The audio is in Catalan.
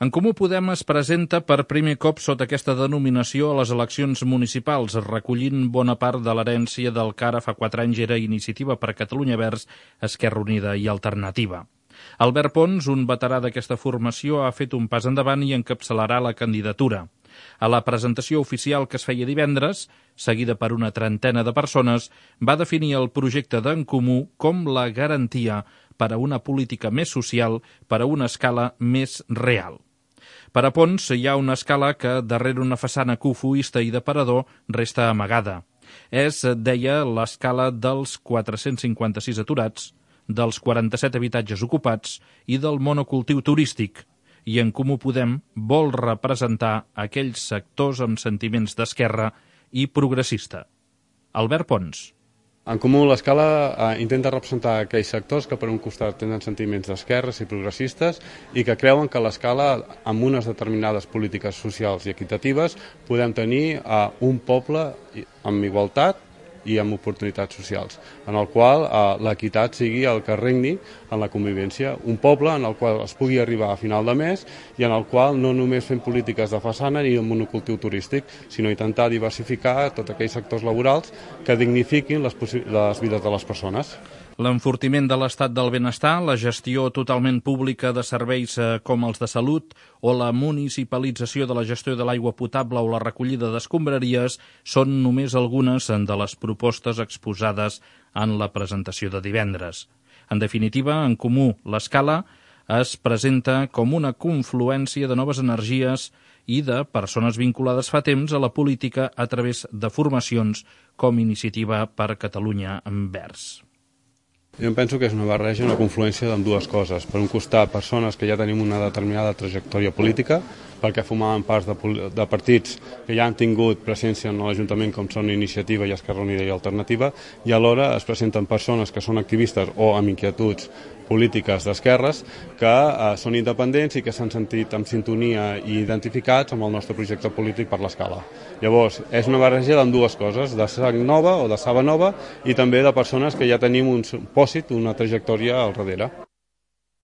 En Comú Podem es presenta per primer cop sota aquesta denominació a les eleccions municipals, recollint bona part de l'herència del que ara fa 4 anys era Iniciativa per Catalunya Verds, Esquerra Unida i Alternativa. Albert Pons, un veterà d'aquesta formació, ha fet un pas endavant i encapçalarà la candidatura. A la presentació oficial que es feia divendres, seguida per una trentena de persones, va definir el projecte d'En Comú com la garantia per a una política més social, per a una escala més real. Per a Pons hi ha una escala que, darrere una façana cofoista i d'aparador, resta amagada. És, deia, l'escala dels 456 aturats, dels 47 habitatges ocupats i del monocultiu turístic. I En Comú Podem vol representar aquells sectors amb sentiments d'esquerra i progressista. Albert Pons. En Comú l'Escala intenta representar aquells sectors que per un costat tenen sentiments d'esquerres i progressistes i que creuen que l'Escala, amb unes determinades polítiques socials i equitatives, podem tenir un poble amb igualtat i amb oportunitats socials, en el qual l'equitat sigui el que regni en la convivència. Un poble en el qual es pugui arribar a final de mes i en el qual no només fem polítiques de façana ni de monocultiu turístic, sinó intentar diversificar tots aquells sectors laborals que dignifiquin les vides de les persones. L'enfortiment de l'estat del benestar, la gestió totalment pública de serveis com els de salut o la municipalització de la gestió de l'aigua potable o la recollida d'escombraries són només algunes de les propostes exposades en la presentació de divendres. En definitiva, En Comú l'Escala es presenta com una confluència de noves energies i de persones vinculades fa temps a la política a través de formacions com Iniciativa per Catalunya Verds. Jo penso que és una barreja, una confluència d'ambdues coses. Per un costat, persones que ja tenim una determinada trajectòria política, perquè formaven part de partits que ja han tingut presència en l'Ajuntament com són Iniciativa i Esquerra Unida i Alternativa, i alhora es presenten persones que són activistes o amb inquietuds polítiques d'esquerres que són independents i que s'han sentit en sintonia i identificats amb el nostre projecte polític per l'Escala. Llavors, és una barreja d'ambdues coses, de sang nova o de saba nova i també de persones que ja tenim un pòsit, una trajectòria al darrere.